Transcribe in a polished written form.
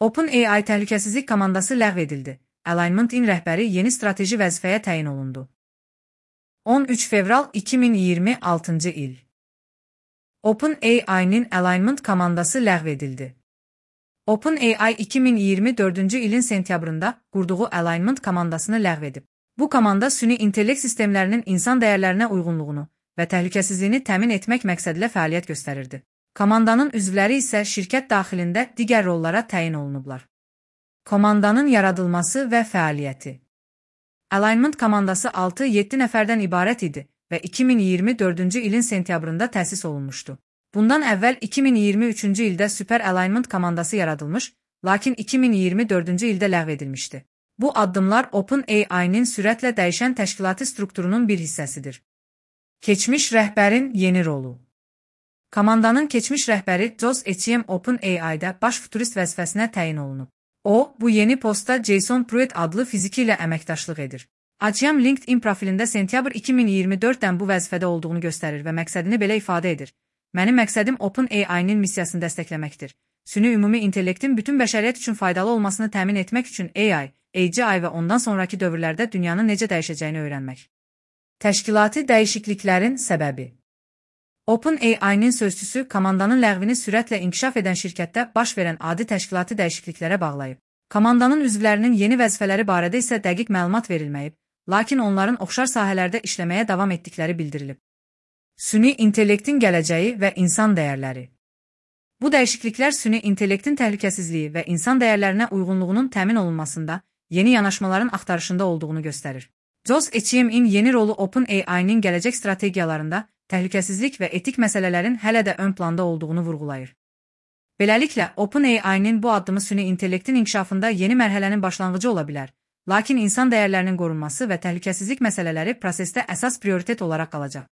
OpenAI təhlükəsizlik komandası ləğv edildi. Alignment-in rəhbəri yeni strateji vəzifəyə təyin olundu. 13 fevral 2026-cı il. OpenAI-nin Alignment komandası ləğv edildi. OpenAI 2024-cü ilin sentyabrında qurduğu Alignment komandasını ləğv edib. Bu komanda süni intellekt sistemlərinin insan dəyərlərinə uyğunluğunu və təhlükəsizliyini təmin etmək məqsədilə fəaliyyət göstərirdi. Komandanın üzvləri isə şirkət daxilində digər rollara təyin olunublar. Komandanın yaradılması və fəaliyyəti. Alignment komandası 6-7 nəfərdən ibarət idi və 2024-cü ilin sentyabrında təsis olunmuşdu. Bundan əvvəl 2023-cü ildə Super Alignment komandası yaradılmış, lakin 2024-cü ildə ləğv edilmişdi. Bu addımlar OpenAI-nin sürətlə dəyişən təşkilati strukturunun bir hissəsidir. Keçmiş rəhbərin yeni rolu. Komandanın keçmiş rəhbəri Josh Etchiem OpenAI-də baş futurist vəzifəsinə təyin olunub. O, bu yeni postda Jason Pruitt adlı fiziki ilə əməkdaşlıq edir. Etchiem LinkedIn profilində sentyabr 2024-dən bu vəzifədə olduğunu göstərir və məqsədini belə ifadə edir. Mənim məqsədim OpenAI-nin missiyasını dəstəkləməkdir. Süni ümumi intellektin bütün bəşəriyyət üçün faydalı olmasını təmin etmək üçün AI, AGI və ondan sonraki dövrlərdə dünyanın necə dəyişəcəyini öyrənmək. Təşkilati dəyişikliklərin səbəbi. OpenAI-nin sözçüsü komandanın ləğvini sürətlə inkişaf edən şirkətdə baş verən adi təşkilati dəyişikliklərə bağlayıb. Komandanın üzvlərinin yeni vəzifələri barədə isə dəqiq məlumat verilməyib, lakin onların oxşar sahələrdə işləməyə davam etdikləri bildirilib. Süni intellektin gələcəyi və insan dəyərləri. Bu dəyişikliklər süni intellektin təhlükəsizliyi və insan dəyərlərinə uyğunluğunun təmin olunmasında, yeni yanaşmaların axtarışında olduğunu göstərir. Josh Etchiemin yeni rolu OpenAI-nin gələcək strategiyalarında təhlükəsizlik və etik məsələlərin hələ də ön planda olduğunu vurğulayır. Beləliklə, OpenAI-nin bu addımı süni intellektin inkişafında yeni mərhələnin başlanğıcı ola bilər, lakin insan dəyərlərinin qorunması və təhlükəsizlik məsələləri prosesdə əsas prioritet olaraq qalacaq.